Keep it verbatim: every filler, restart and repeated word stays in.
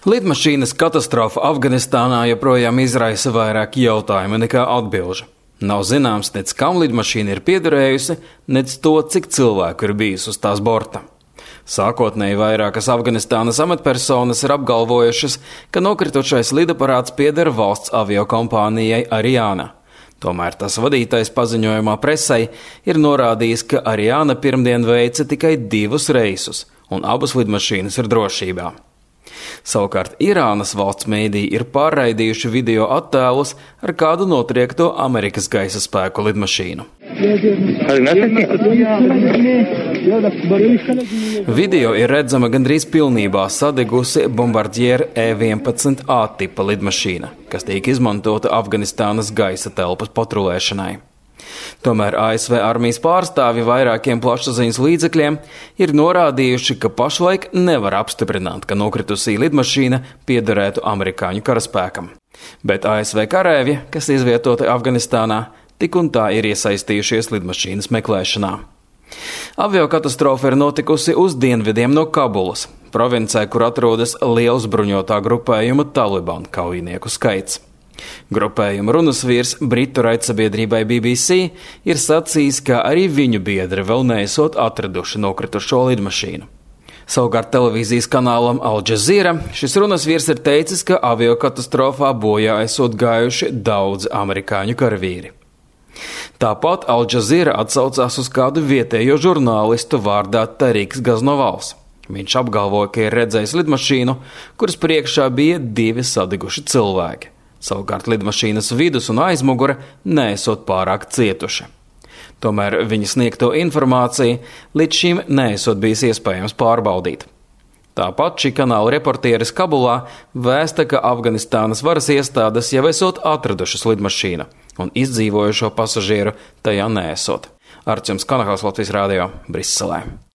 Lidmašīnas katastrofa Afganistānā joprojām izraisa vairāk jautājumu nekā atbilžu. Nav zināms, nec kam lidmašīna ir piederējusi, nec to, cik cilvēku ir bijis uz tās borta. Sākotnēji vairākas Afganistānas amatpersonas ir apgalvojušas, ka nokritušais lidaparāts pieder valsts aviokompānijai Ariana. Tomēr tas vadītais paziņojumā presei ir norādījis, ka Ariana pirmdien veica tikai divus reisus, un abas lidmašīnas ir drošībā. Savukārt Irānas valsts mēdīji ir pārraidījuši video attēlus ar kādu notriekto Amerikas gaisa spēku lidmašīnu. Video ir redzama gandrīz pilnībā sadegusi Bombardier E vienpadsmit A tipa lidmašīna, kas tiek izmantota Afganistānas gaisa telpas patrulēšanai. Tomēr A S V armijas pārstāvi vairākiem plašsaziņas līdzekļiem ir norādījuši, ka pašlaik nevar apstiprināt, ka nokritusī lidmašīna piederētu amerikāņu karaspēkam. Bet A S V karēvi, kas izvietoti Afganistānā, tik un tā ir iesaistījušies lidmašīnas meklēšanā. Aviokatastrofa ir notikusi uz dienvidiem no Kabulas, provincē, kur atrodas liels bruņotā grupējuma Taliban kaujinieku skaits. Grupējuma runasvīrs Britu raidsabiedrībai B B C ir sacījis, ka arī viņu biedri vēl neesot atraduši nokritušo lidmašīnu. Savukārt televīzijas kanālam Al Jazeera šis runasvīrs ir teicis, ka aviokatastrofā bojā esot gājuši daudzi amerikāņu karavīri. Tāpat Al Jazeera atsaucās uz kādu vietējo žurnālistu vārdā Tariks Gaznovals. Viņš apgalvoja, ka ir redzējis lidmašīnu, kuras priekšā bija divi sadeguši cilvēki. Savukārt lidmašīnas vidus un aizmugure neesot pārāk cietuši. Tomēr viņa sniegto informāciju līdz šim neesot bijis iespējams pārbaudīt. Tāpat šī kanāla reportieris Kabulā vēsta, ka Afganistānas varas iestādes jau esot atradušas lidmašīnu un izdzīvojušo pasažieru tajā neesot. Arčuns Kanahals, Latvijas Rādio, Briselē.